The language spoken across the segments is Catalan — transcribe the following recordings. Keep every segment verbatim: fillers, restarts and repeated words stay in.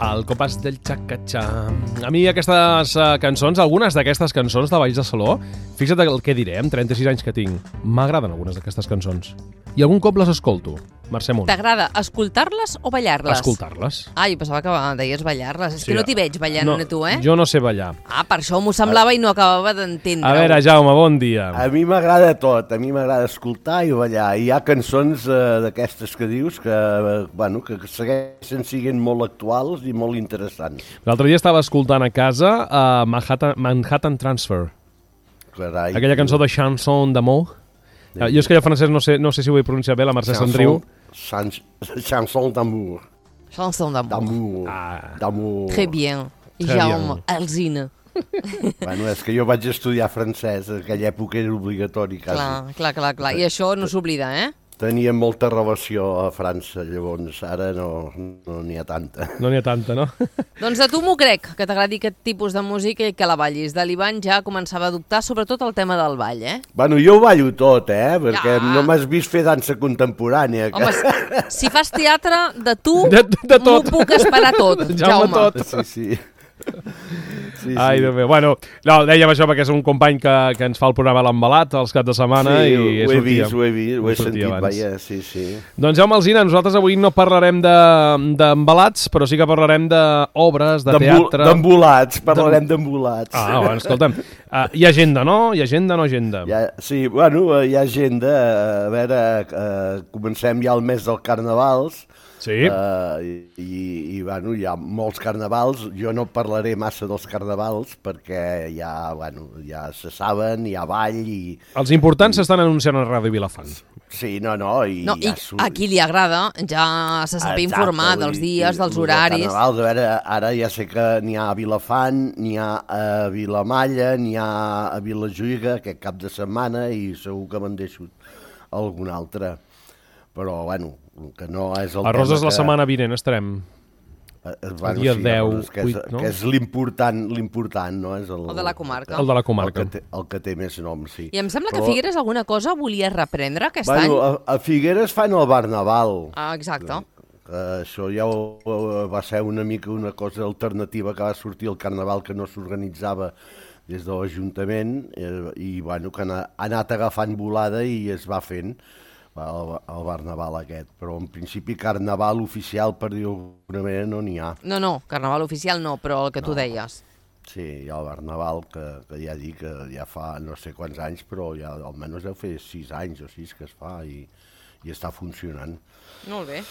Al compàs del xacatxà. A mi aquestes uh, cançons, algunes d'aquestes cançons de Balls de Saló, fixa't el que diré, amb trenta-sis anys que tinc, m'agraden algunes d'aquestes cançons. I algun cop les escolto. Mercè Munt. T'agrada escoltar-les o ballar-les? Escoltar-les. Ah, jo pensava que deies ballar-les. És Sí, que no t'hi veig ballant, no, a tu, eh? Jo no sé ballar. Ah, per això m'ho semblava i no acabava d'entendre. A veure, Jaume, bon dia. A mi m'agrada tot, a mi m'agrada escoltar i ballar. Hi ha cançons eh, d'aquestes que dius que, eh, bueno, que segueixen sent molt actuals i molt interessants. L'altre dia estava escoltant a casa uh, Manhattan, Manhattan Transfer. Carai. Aquella cançó de Chanson d'amour. Uh, jo és que jo francès no sé, no sé si ho he pronunciat bé, la Mercè se'n riu. Chanson d'amour. Chanson d'amour. D'amour. Ah. D'amour. Très bien. Très Jaume bien. Alzina. Bueno, és que jo vaig estudiar francès, en aquella època era obligatori quasi. Clar, clar, clar, clar. I això no s'oblida, eh? Tenia molta relació a França, llavors ara no no n'hi ha tanta. No n'hi ha tanta, no? Doncs de tu m'ho crec, que t'agradi aquest tipus de música i que la ballis. De l'Ivan ja començava a dubtar, sobretot el tema del ball, eh? Bueno, jo ho ballo tot, eh? Perquè Ja. no m'has vist fer dansa contemporània. Que... Home, si fas teatre, de tu De- de m'ho tot. puc esperar tot, Jaume, Jaume. tot. Sí, sí. Sí, sí. Ai, Déu meu. Bueno, no, dèiem això perquè és un company que, que ens fa el programa L'Embalat els caps de setmana Sí, i ho he sortia. vist, ho he vist, ho he sortia sentit, abans. vaja, sí, sí. Doncs Jaume Alzina, nosaltres avui no parlarem de- d'embalats, però sí que parlarem d'obres, de, de D'embol- teatre... D'embolats, parlarem d'embolats. Ah, bueno, escolta'm, uh, hi ha agenda, no? Hi ha agenda, no agenda? Ja, sí, bueno, eh, hi ha agenda, eh, a veure, eh, comencem ja el mes dels carnavals, Sí. eh, i, i bueno, hi ha molts carnavals, jo no parlaré massa dels carnavals perquè ja, bueno, ja se saben, hi ha ball i... Els importants s'estan anunciant a Ràdio Vilafant. Sí, no, no, i No, i ja a qui li agrada ja se sap informar Exacte, dels i- dies, i dels els horaris. carnavals, a veure, ara ja sé que n'hi ha a Vilafant, n'hi ha a Vilamalla, n'hi ha a Vilajuïga aquest cap de setmana i segur que me'n deixo algun altre. Però, bueno, que no és el A Roses tema la que... setmana vinent estarem. Eh, el bueno, dia sí, deu, Roses, que és, vuit, no? que és l'important, l'important, no? És el, El de la comarca. El de la El comarca. que, té, el que té més nom, sí. I em sembla que Però, Figueres alguna cosa volia reprendre aquest bueno, any. a, a Figueres fan el Barnaval. Ah, exacte. Que això ja ho, ho, va ser una mica una cosa alternativa que va sortir el Carnaval que no s'organitzava des de l'Ajuntament eh, i bueno, que ha, ha anat agafant volada i es va fent el, el Barnaval aquest. Però en principi Carnaval oficial, per dir-ho d'alguna manera, no n'hi ha. No, no, carnaval oficial no, però el que tu deies. Sí, hi ha el Barnaval, que, que ja dic que ja fa no sé quants anys, però ja almenys deu fer sis anys o sis que es fa i, i està funcionant. Molt bé.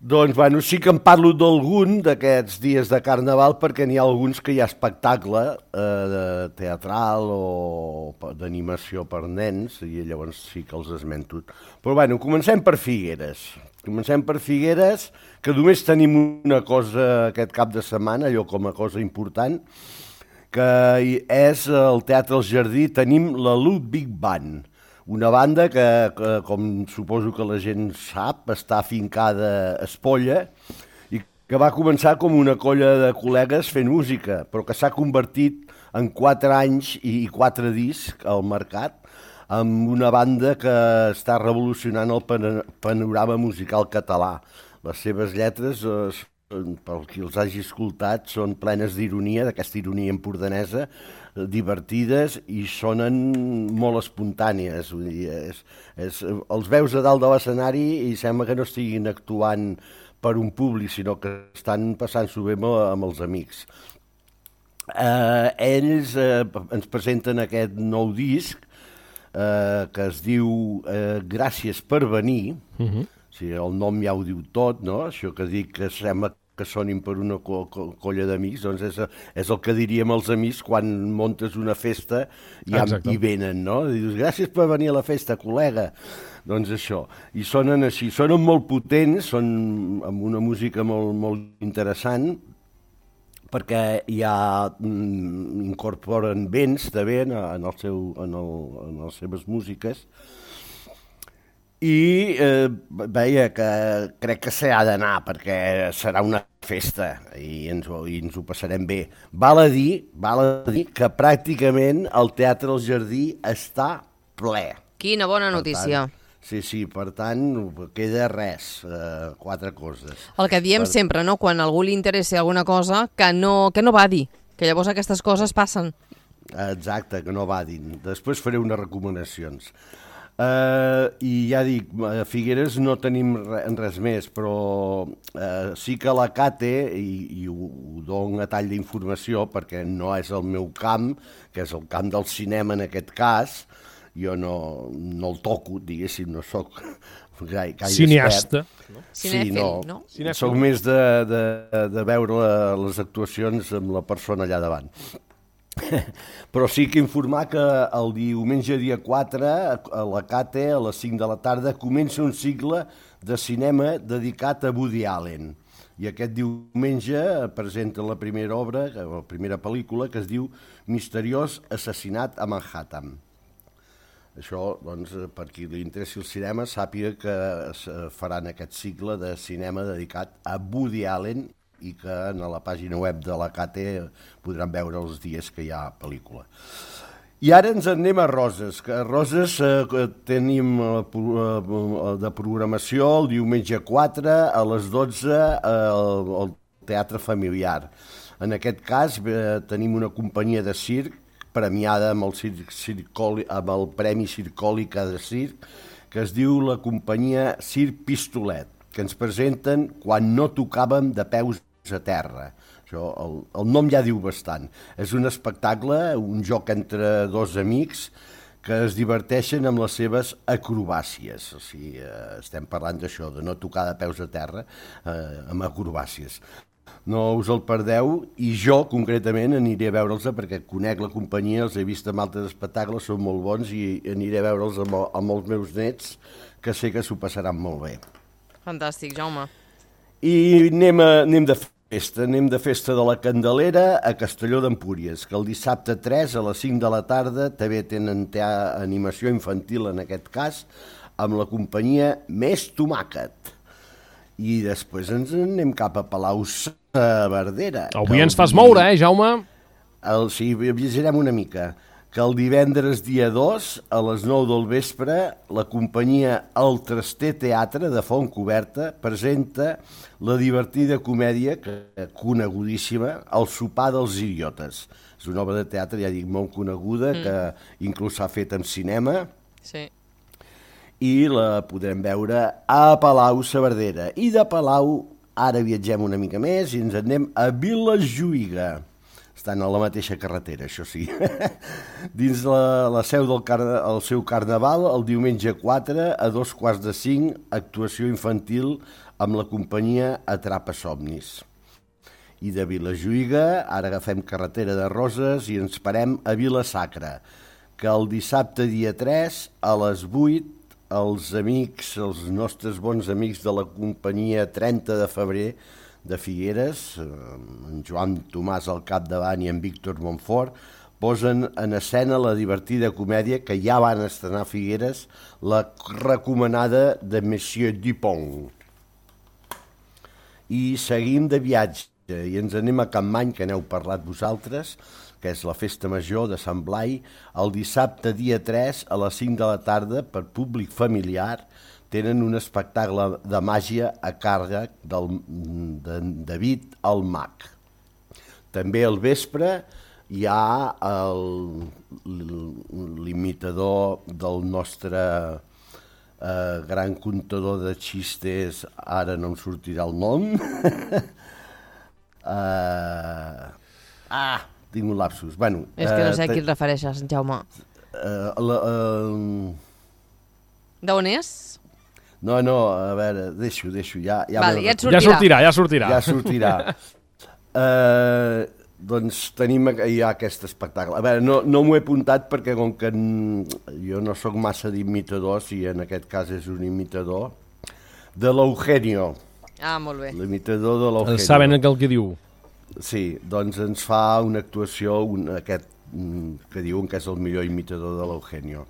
Doncs, bueno, sí que en parlo d'algun d'aquests dies de Carnaval perquè n'hi ha alguns que hi ha espectacle eh, de teatral o d'animació per nens i llavors sí que els esmento. Però, bueno, comencem per Figueres. Comencem per Figueres, que només tenim una cosa aquest cap de setmana, allò com a cosa important, que és el Teatre El Jardí. Tenim la Ludwig Band, una banda que, que, com suposo que la gent sap, està afincada a Espolla i que va començar com una colla de col·legues fent música, però que s'ha convertit en quatre anys i quatre discs al mercat, amb una banda que està revolucionant el panorama musical català. Les seves lletres, eh, pel qui els hagi escoltat, són plenes d'ironia, d'aquesta ironia empordanesa, divertides i sonen molt espontànies. Vull dir, és, és, els veus a dalt de l'escenari i sembla que no estiguin actuant per un públic, sinó que estan passant-s'ho bé amb, amb els amics. Eh, ells eh, ens presenten aquest nou disc eh, que es diu eh, Gràcies per venir. Uh-huh. O sigui, el nom ja ho diu tot, no? Això que dic que sembla que sonin per una co co colla d'amics, doncs és, és el que diríem els amics quan montes una festa i, amb, i venen, no? I dius, gràcies per venir a la festa, col·lega. Doncs això. I sonen així, sonen molt potents, són amb una música molt, molt interessant, perquè ja mm, incorporen vents de vent en, el seu, en, el, en les seves músiques. I eh, veia que crec que s'ha d'anar perquè serà una festa i ens, i ens ho passarem bé. Val a dir, val a dir que pràcticament el Teatre El Jardí està ple. Quina bona notícia. Per tant, Sí, sí, per tant, queda res, eh, quatre coses. El que diem per... sempre, no? Quan a algú li interessi alguna cosa, que no, que no va dir, que llavors aquestes coses passen. Exacte, que no va dir. Després faré unes recomanacions. Uh, I ja dic, a Figueres no tenim res més, però uh, sí que la Cate, i, i ho, ho dono a tall d'informació perquè no és el meu camp, que és el camp del cinema en aquest cas, jo no, no el toco, diguéssim, no sóc gaire, gaire cineasta. expert. No? Sí, Cinèfil, no. no? Cinèfil. Soc més de, de, de veure les actuacions amb la persona allà davant. Però sí que informar que el diumenge dia quatre a la Cate, a les cinc de la tarda, comença un cicle de cinema dedicat a Woody Allen. I aquest diumenge presenta la primera obra, la primera pel·lícula, que es diu Misteriós assassinat a Manhattan. Això, doncs, per qui li interessi el cinema, sàpiga que es faran aquest cicle de cinema dedicat a Woody Allen i que a la pàgina web de la Cate podran veure els dies que hi ha pel·lícula. I ara ens en anem a Roses, que a Roses eh, tenim eh, de programació el diumenge quatre a les dotze al, al Teatre Familiar. En aquest cas eh, tenim una companyia de circ premiada amb el, circ, circoli, amb el Premi Circòlica de Circ, que es diu la companyia Circ Pistolet, que ens presenten Quan no tocàvem de peus a terra. Això, el, el nom ja diu bastant. És un espectacle, un joc entre dos amics que es diverteixen amb les seves acrobàcies. O sigui, eh, estem parlant d'això, de no tocar de peus a terra eh, amb acrobàcies. No us el perdeu i jo, concretament, aniré a veure'ls perquè conec la companyia, els he vist en altres espectacles, són molt bons i aniré a veure'ls amb, amb els meus nets, que sé que s'ho passaran molt bé. Fantàstic, Jaume. I anem, a, anem de festa, anem de festa de la Candelera a Castelló d'Empúries, que el dissabte tres a les cinc de la tarda també tenen animació infantil en aquest cas, amb la companyia Més Tomàquet. I després ens anem cap a Palau-saverdera. Avui ens fas moure, eh, Jaume? El, sí, viatjarem una mica. Que el divendres dia dos, a les nou del vespre, la companyia El Traster Teatre de Fontcoberta presenta la divertida comèdia, que, conegudíssima, El sopar dels idiotes. És una obra de teatre, ja dic, molt coneguda, mm. que inclús s'ha fet en cinema. Sí. I la podrem veure a Palau-saverdera. I de Palau ara viatgem una mica més i ens anem a Vilajuïga. Estan a la mateixa carretera, això sí. Dins la, la seu del car el seu carnaval, el diumenge quatre a dos quarts de cinc, actuació infantil amb la companyia Atrapa Somnis. I de Vilajuïga ara agafem carretera de Roses i ens parem a Vila-sacra, que el dissabte dia tres a les vuit els amics, els nostres bons amics de la companyia trenta de febrer de Figueres, en Joan Tomàs al capdavant i en Víctor Montfort, posen en escena la divertida comèdia que ja van estrenar a Figueres, la recomanada de Monsieur Dupont. I seguim de viatge i ens anem a Campmany, que n'heu parlat vosaltres, que és la festa major de Sant Blai, el dissabte dia tres a les cinc de la tarda per públic familiar tenen un espectacle de màgia a càrrec del, de David el Mag. També al vespre hi ha l'imitador del nostre eh, gran contador de xistes, ara no em sortirà el nom. uh, ah, tinc un lapsus. Bueno, és que no sé uh, a qui et refereixes, Jaume. Uh, la, uh, D'on és? No, no, a veure, deixo, deixo. Ja, ja, Val, ja et sortirà. Ja sortirà, ja sortirà. Ja sortirà. uh, doncs tenim ja aquest espectacle. A veure, no, no m'ho he apuntat perquè com que jo no sóc massa d'imitadors i en aquest cas és un imitador de l'Eugenio. Ah, molt bé. L'imitador de l'Eugenio. Saben el que diu. Sí, doncs ens fa una actuació, un, aquest que diuen que és el millor imitador de l'Eugenio.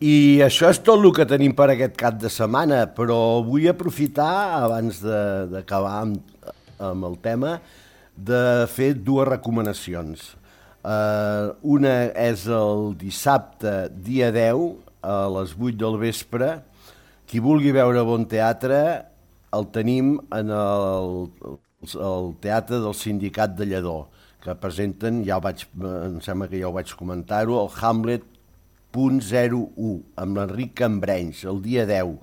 I això és tot el que tenim per aquest cap de setmana, però vull aprofitar, abans d'acabar amb, amb el tema, de fer dues recomanacions. Uh, una és el dissabte, dia deu, a les vuit del vespre. Qui vulgui veure bon teatre el tenim en el, el Teatre del Sindicat de Lledó, que presenten, ja ho vaig, em sembla que ja ho vaig comentar-ho, el Hamlet punt zero u, amb l'Enric Cambrenys, el dia deu.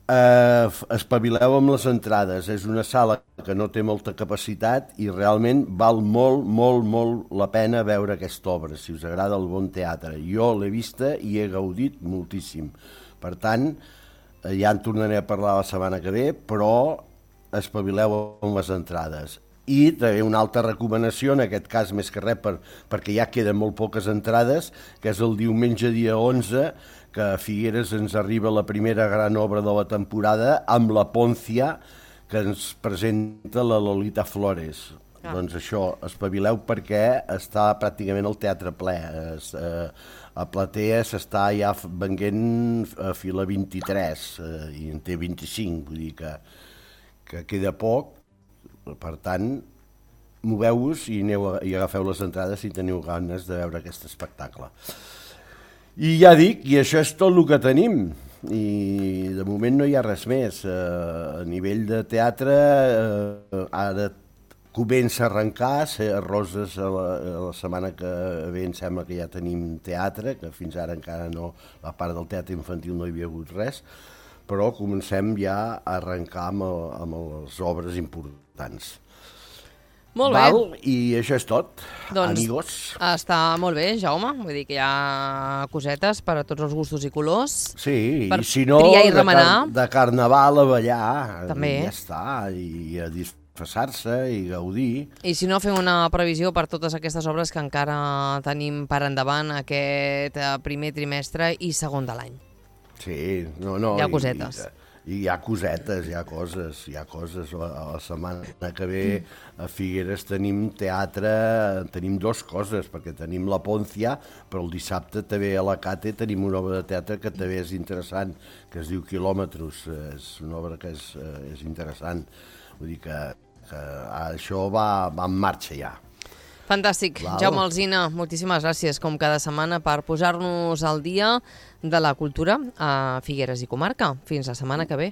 Eh, espavileu amb les entrades, és una sala que no té molta capacitat i realment val molt, molt, molt la pena veure aquesta obra, si us agrada el bon teatre. Jo l'he vista i he gaudit moltíssim. Per tant, ja en tornaré a parlar la setmana que ve, però espavileu amb les entrades. I també una altra recomanació, en aquest cas més que res per, perquè ja queden molt poques entrades, que és el diumenge dia onze, que a Figueres ens arriba la primera gran obra de la temporada amb la Poncia, que ens presenta la Lolita Flores. Ah. Doncs això, espavileu perquè està pràcticament el teatre ple. Es, eh, a Platea s'està ja venguent a fila vint-i-tres eh, i en té vint-i-cinc, vull dir que, que queda poc. Per tant, moveu-vos i, aneu a, i agafeu les entrades si teniu ganes de veure aquest espectacle. I ja dic, i això és tot el que tenim. I de moment no hi ha res més. Eh, a nivell de teatre, eh, ara comença a arrencar, a Roses a la, a la setmana que ve em sembla que ja tenim teatre, que fins ara encara no, la part del teatre infantil no hi havia hagut res, però comencem ja a arrencar amb, el, amb les obres importants. Molt bé. Val? I això és tot, doncs, amigos. Està molt bé, Jaume. Vull dir que hi ha cosetes per a tots els gustos i colors. Sí, per i si no, triar i de, remenar. car de carnaval a ballar. També. I ja està, i a disfressar-se i gaudir. I si no, fem una previsió per totes aquestes obres que encara tenim per endavant aquest primer trimestre i segon de l'any. Sí, no, no. Hi ha cosetes. I, i hi ha cosetes, hi ha coses, hi ha coses. La, la setmana que ve a Figueres tenim teatre, tenim dues coses, perquè tenim la Poncia, però el dissabte també a la Cate tenim una obra de teatre que també és interessant, que es diu Quilòmetres. És una obra que és, és interessant. Vull dir que, que això va, va en marxa ja. Fantàstic. Val. Jaume Alsina, moltíssimes gràcies, com cada setmana, per posar-nos al dia de la cultura a Figueres i comarca. Fins la setmana que ve.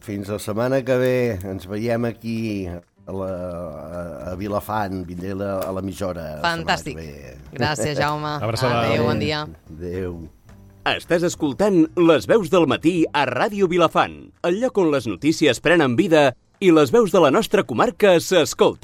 Fins la setmana que ve. Ens veiem aquí a, la, a Vilafant, vindré a l'emissora. Fantàstic. Gràcies, Jaume. Abraçada. Adéu, bon dia. Adéu. Estàs escoltant Les veus del matí a Ràdio Vilafant, el lloc on les notícies prenen vida i les veus de la nostra comarca s'escolten.